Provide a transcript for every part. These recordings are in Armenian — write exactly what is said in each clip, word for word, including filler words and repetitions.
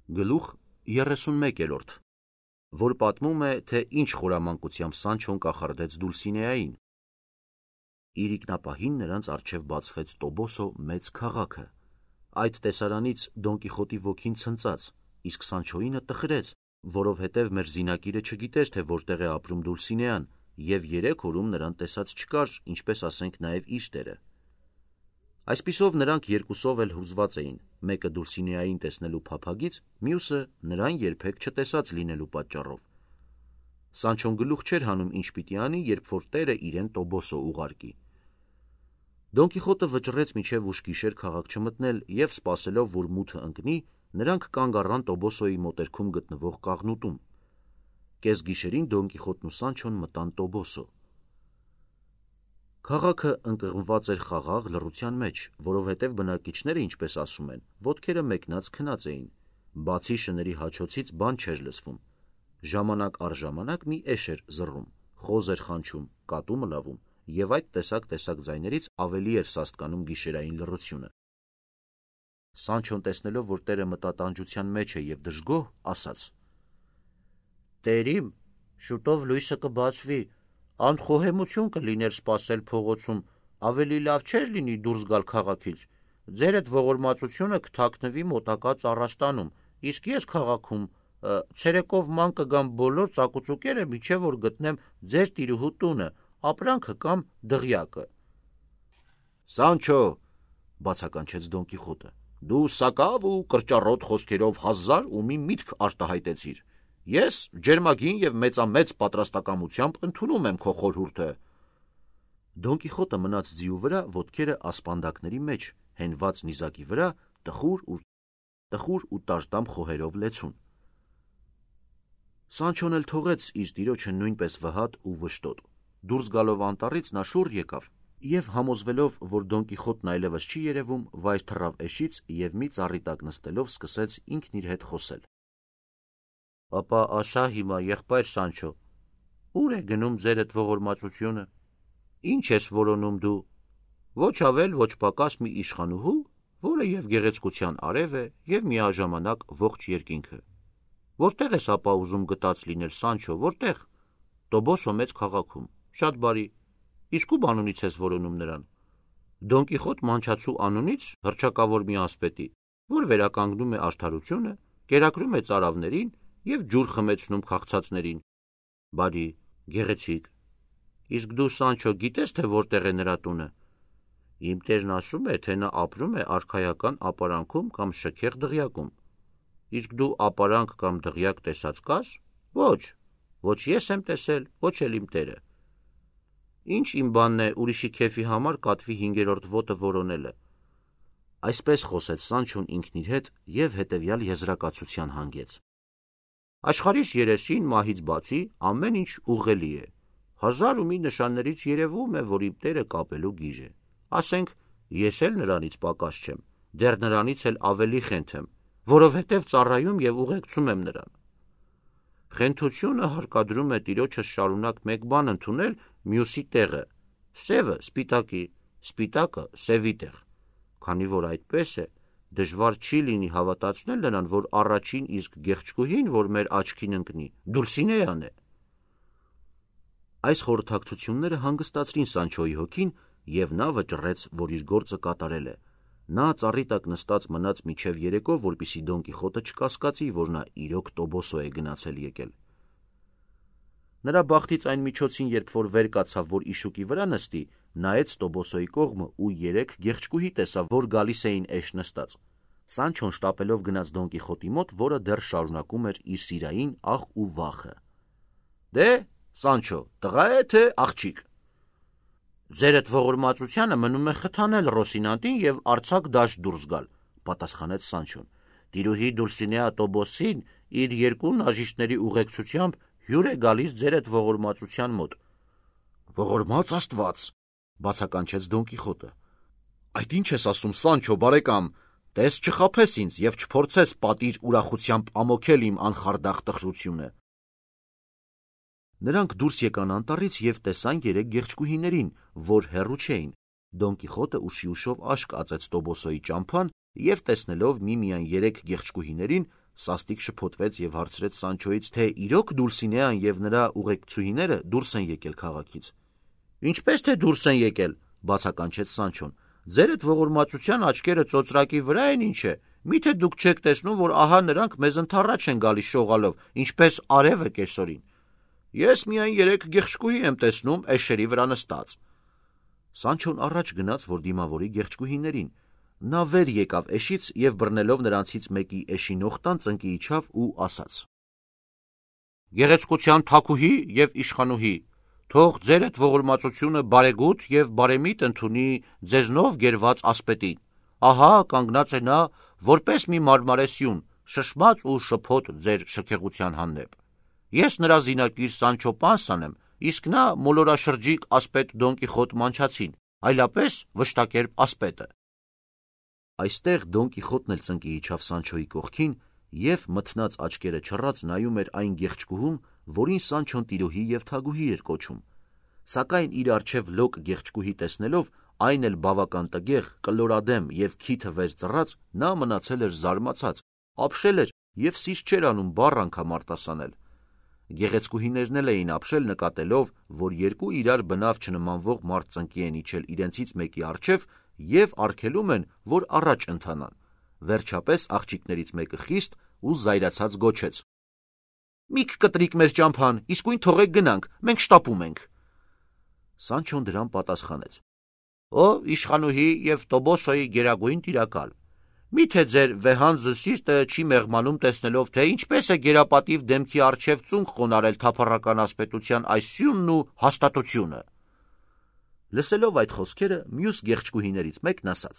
Գլուխ երեսունմեկերորդ, որ պատմում է, թե ինչ խորամանկությամբ Սանչոն կախարդեց Դուլսինեային։ Իր ինքնապահին նրանց առջև բացվեց Տոբոսո մեծ քաղաքը։ Այդ տեսարանից Դոն Կիխոտի ոգին ցնծաց, իսկ Սանչոյինը տխրեց, որովհետև մեր զինակիրը չգիտեր, թե որտեղ է ապրում Դուլսինեան, և երեք օրում նրան տեսած չկար, ինչպես ասենք նաև իր տերը։ Այսպիսով նրանք երկուսով էլ հուզված էին, մեկը Դուլսինեային տեսնելու փափագից, մյուսը նրան երբեք չտեսած լինելու պատճառով։ Սանչոն գլուխ չէր հանում ինչ պիտի անի, երբ որ տերը իրեն Տոբոսո ուղարկի։ Դոն Կիխոտը վճռեց մինչև ուշ գիշեր քաղաք չմտնել և սպասելով, որ մութը ընկնի, նրանք կանգ առան Տոբոսոյի մոտերքում գտնվող կաղնուտում։ Կեսգիշերին Դոն Կիխոտն ու Սանչոն մտան Տոբոսո։ Քաղաքը ընկղմված էր խաղաղ լռության մեջ, որովհետև բնակիչները, ինչպես ասում են, ոտքերը մեկնած քնած էին, բացի շների հաչոցից բան չէր լսվում։ Ժամանակ առ ժամանակ մի էշ էր զռռում, խոզ էր խանչում, կատու մլավում, և այդ տեսակ-տեսակ ձայներից ավելի էր սաստկանում գիշերային լռությունը։ Սանչոն տեսնելով, որ տերը մտատանջության մեջ է և դժգոհ, ասաց. «Տերիմ, շուտով լույսը կբացվի, անխոհեմություն կլիներ սպասել փողոցում, ավելի լավ չէր լինի դուրս գալ քաղաքից, ձեր այդ ողորմածությունը կթաքնվի մոտակա ծառաստանում, իսկ ես քաղաքում ցերեկով ման կգամ բոլոր ծակուծուկերը, մինչև որ գտնեմ ձեր տիրուհու տունը, ապրանքը կամ դղյակը»։ «Սանչո», բացականչեց Դոն Կիխոտը, «դու սակավ ու կրճառոտ խոսքերով հազար ու մի միտք արտահայտեցիր։ Ես ջերմագին և մեծամեծ պատրաստակամությամբ ընդունում եմ քո խորհուրդը»։ Դոն Կիխոտը մնաց ձիու վրա, ոտքերը ասպանդակների մեջ, հենված նիզակի վրա, տխուր ու տաժդամ խոհերով լեցուն։ Սանչոն էլ թողեց իր տիրոջը նույնպես վհատ ու վշտոտ։ Դուրս գալով անտառից նա շուռ եկավ և, համոզվելով, որ Դոն Կիխոտն այլևս չի երևում, վայր թռավ էշից և մի ծառի տակ նստելով սկսեց ինքն իր հետ խոսել. «Ապա ասա հիմա, եղբայր Սանչո, ո՞ւր է գնում ձեր այդ ողորմածությունը, ինչ ես որոնում դու, ոչ ավել, ոչ պակաս մի իշխանուհու, որը և գեղեցկության արև է, և միաժամանակ ողջ երկինքը։ Որտեղ ես ապա ուզում գտած լինել, Սանչո, որտեղ։ Տոբոսո մեծ քաղաքում, շատ բարի, իսկ ո՞ւմ անունից ես որոնում նրան։ Դոն Կիխոտ մանչացու անունից, հռչակավոր մի ասպետի, որ վերականգնում է արդարությունը, կերակրում է ծարավներին և ջուր խմեցնում քաղցածներին։ Բարի, գեղեցիկ։ Իսկ դու, Սանչո, գիտես, թե որտեղ է նրա տունը։ Իմ տերն ասում է, թե նա ապրում է արքայական ապարանքում կամ շքեղ դղյակում։ Իսկ դու ապարանք կամ դղյակ տեսած կաս։ Ոչ, ոչ ես եմ տեսել, ոչ էլ իմ տերը։ Ինչ իմ բանն է ուրիշի քեֆի համար կատվի հինգերորդ ոտը որոնելը։ Այսպես խոսեց Սանչոն ինքն իր հետ և հետևյալ եզրակացության հանգեց. Աշխարհիս երեսին մահից բացի ամեն ինչ ուղղելի է։ Հազար ու մի նշաններից երևում է, որ իմ տերը կապելու գիժ է։ Ասենք, ես էլ նրանից պակաս չեմ, դեռ նրանից էլ ավելի խենթ եմ, որովհետև ծառայում և ուղեկցում եմ նրան։ Խենթությունը հարկադրում է տիրոջս շարունակ մեկ բան ընդունել մյուսի տեղը, սևը սպիտակի, սպիտակը սևի տեղ։ Քանի որ այդպես է, դժվար չի լինի հավատացնել նրան, որ առաջին իսկ գեղեցկուհին, որ մեր աչքին ընկնի, Դուլսինեան է։ Այս խորհրդակցությունները հանգստացրին Սանչոյի հոգին, և նա վճռեց, որ իր գործը կատարել է։ Նա ծառի տակ նստած մնաց մինչև երեկո, որպեսզի Դոն Կիխոտը չկասկածի, որ նա իրոք Տոբոսո է գնացել եկել։ Նրա բախտից այն միջոցին, երբ որ վեր կացավ, որ իշուկի վրա նստի, նայեց Տոբոսոյի կողմը ու երեք գեղեցկուհի տեսավ, որ գալիս էին էշ նստած։ Սանչոն շտապելով գնաց Դոն Կիխոտի մոտ, որը դեռ շարունակում էր իր սիրային ախ ու վախը։ Դե, Սանչո, տղա է թե աղջիկ։ Ձեր այդ ողորմածությանը մնում է խթանել Ռոսինանտին և արձակ դաշտ դուրս գալ, պատասխանեց Սանչոն։ Տիրուհի Դուլսինեա Տոբոսին իր երկու նաժիշտների ուղեկցությամբ հյուր է գալիս ձեր այդ ողորմածության մոտ։ Ողորմած Աստված, բացականչեց Դոն Կիխոտը։ Այդ ինչ ես ասում, Սանչո բարեկամ, տես չխաբես ինձ և չփորձես պատիր ուրախությամբ ամոքել իմ անխարդախ տխրությունը։ Նրանք դուրս եկան անտառից և տեսան երեք գեղեցկուհիներին, որ հեռու չէին։ Դոն Կիխոտը ուշի ուշով աշկ ածեց Տոբոսոյի ճամփան և տեսնելով միմիայն երեք գեղեցկուհիներին, Սաստիկ շփոթվեց եւ հարցրեց Սանչոից, թե իրոք Դուլսինեան եւ նրա ուղեկցուհիները դուրս են եկել քաղաքից։ Ինչպես թե դուրս են եկել, բացականչեց Սանչոն։ Ձերդ ողորմածության աչքերը ծոծրակի վրա են, ինչ է։ Միթե դուք չեք տեսնում, որ ահա նրանք մեզ ընթառաջ են գալիս շողալով, ինչպես արևը կեսօրին։ Ես միայն երեք գեղչկուհի եմ տեսնում էշերի վրա նստած։ Սանչոն առաջ գնաց, որ դիմավորի գեղչկուհիներին։ Նա վեր եկավ էշից եւ բռնելով նրանցից մեկի էշի նողտան ծնկի իջավ ու ասաց. Գեղեցկության թագուհի եւ իշխանուհի, թող ձերդ ողորմածությունը բարեգութ եւ բարեմիտ ընդունի ձեզնով գերված ասպետին։ Ահա կանգնած է նա, որպես մի մարմարե սյուն, շշմած ու շփոթ ձեր շքեղության հանդեպ։ Ես նրա զինակիր Սանչո Պանսան եմ, իսկ նա մոլորաշրջիկ ասպետ Դոն Կիխոտ Մանչացին, այլապես վշտակերպ ասպետը։ Այստեղ Դոն Կիխոտն էլ ծնկի իջավ Սանչոյի կողքին եւ մթնած աչքերը չռած նայում էր այն գեղչկուհուն, որին Սանչոն տիրոհի եւ թագուհի էր կոչում։ Սակայն իր առջև լոկ գեղչկուհի տեսնելով, այն էլ բավական տգեղ, կլորադեմ եւ քիթը վեր ծռած, նա մնացել էր զարմացած, ապշել էր եւ սիշ չէր անում բառ անգամ արտասանել։ Գեղեցկուհիներն էլ էին ապշել նկատելով, որ երկու իրար բնավ չնմանվող մարդ ծնկի են իջել իրենցից մեկի առջև եւ արգելում են, որ առաջ ընթանան։ Վերջապես աղջիկներից մեկը խիստ ու զայրացած գոչեց. Միք կտրիկ մեր ճամփան, իսկույն թողեք գնանք, մենք շտապում ենք։ Սանչոն դրան պատասխանեց. Ո իշխանուհի եւ Տոբոսոյի գերագույն տիրակալ, միթե ձեր վեհանձը սիրտը չի մեղմանում տեսնելով, թե ինչպես է գերապատիվ դեմքի առջև ծունկ խոնարել թափառական ասպետության այս սյունն ու հաստատությունը։ Լսելով այդ խոսքերը, մյուս գեղչկուհիներից մեկն ասաց.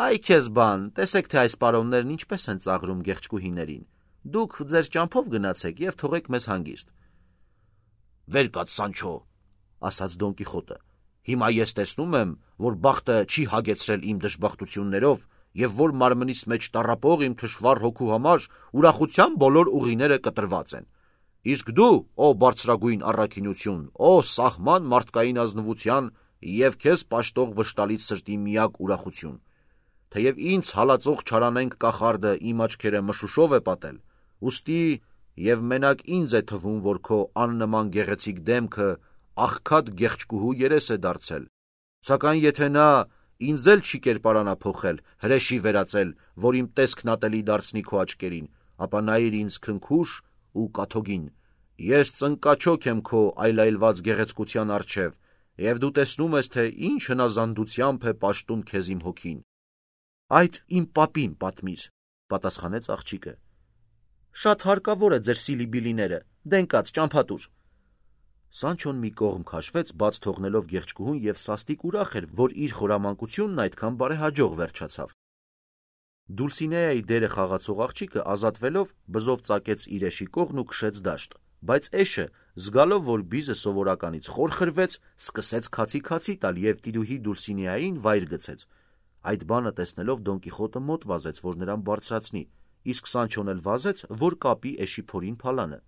Այ քեզ բան, տեսեք թե այս պարոններն ինչպես են ծաղրում գեղչկուհիներին։ Դուք ձեր ճամփով գնացեք եւ թողեք մեզ հանգիստ։ Վեր կաց Սանչո, ասաց Դոն Կիխոտը։ Հիմա ես տեսնում եմ, որ բախտը չի հագեցրել իմ դժբախտություններով եւ որ մարմնիս մեջ տառապող իմ թշվառ հոգու համար ուրախության բոլոր ուղիները կտրված են։ Իսկ դու, ո բարձրագույն առաքինություն, ո սահման մարդկային ազնվության եւ քեզ պաշտող վշտալից սրտի միակ ուրախություն, թեև ինձ հալածող չարանենք կախարդը իմ աչքերը մշուշով է պատել, ուստի եւ մենակ ինձ է թվում, որ քո աննման գեղեցիկ դեմքը աղքատ գեղչկուհու երես է դարձել, սակայն եթե նա ինձ էլ չի կերպարանափոխել, հրեշի վերածել, որ իմ տեսքն ատելի դարձնի քո աչքերին, ապա նայիր ինձ քնքուշ ու կաթոգին, ես ծնկաչոք եմ քո այլայլված գեղեցկության առջև, եւ դու տեսնում ես, թե ինչ հնազանդությամբ է պաշտում քեզ իմ հոգին։ Այդ իմ պապին պատմիր, պատասխանեց աղջիկը։ Շատ հարկավոր է ձեր սիլիբիլիները, դենկած ճամփատուր։ Սանչոն մի կողմ քաշվեց, բաց թողնելով գեղչկուհուն եւ սաստիկ ուրախ էր, որ իր խորամանկությունն այդքան բարեհաջող վերջացավ։ Դուլսինեայի դերը խաղացող աղջիկը ազատվելով բզով ծակեց իր էշի կողն ու քշեց դաշտ, բայց էշը, զգալով, որ բիզը սովորականից խոր խրվեց, սկսեց քացի-քացի տալ եւ տիրուհի Դուլսինեային վայր գցեց։ Այդ բանը տեսնելով Դոն Կիխոտը մոտ վազեց, որ նրան բարձրացնի, իսկ Սանչոն էլ վազեց, որ կապի էշի փորին փալանը։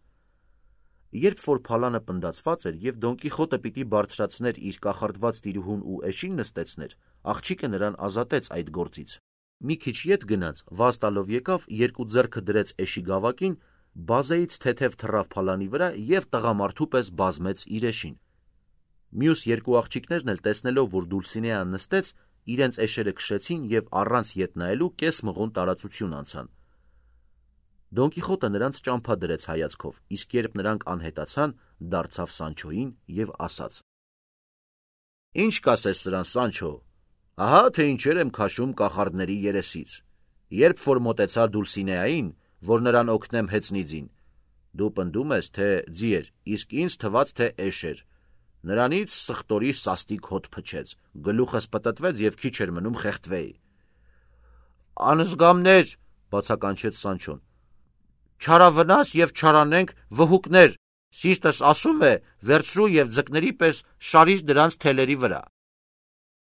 Երբ որ փալանը պնդացված էր եւ Դոն Կիխոտը պիտի բարձրացներ իր կախարդված տիրուհուն ու էշին նստեցներ, աղջիկը նրան ազատեց այդ գործից։ Մի քիչ ետ գնաց, վազ տալով եկավ, երկու ձեռքը դրեց էշի գավակին, բազեից թեթև թռավ փալանի վրա եւ տղամարդու պես բազմեց իր էշին։ Մյուս երկու աղջիկներն էլ տեսնելով, որ Դուլսինեան նստեց, իրենց էշերը քշեցին եւ առանց ետ նայելու կես մղոն տարածություն անցան։ Դոն Կիխոտը նրանց ճամփա դրեց հայացքով, իսկ երբ նրանք անհետացան, դարձավ Սանչոյին եւ ասաց. Ինչ կասես սրան, Սանչո, ահա թե ինչեր եմ քաշում կախարդների երեսից, երբ որ մոտեցա Դուլսինեային, որ նրան օգնեմ հեծնիձին, դու պնդում ես, թե ձի էր, իսկ ինձ թվաց, թե էշ էր, նրանից սխտորի սաստիկ հոտ փչեց, գլուխս պտտվեց եւ քիչ էր մնում խեղդվեի։ Անզգամներ, բացականչեց Սանչոն, չարավնաս եւ չարանենք վհուկներ, սիրտս ասում է, վերցրու եւ ձկների պես շարիր դրանց թելերի վրա։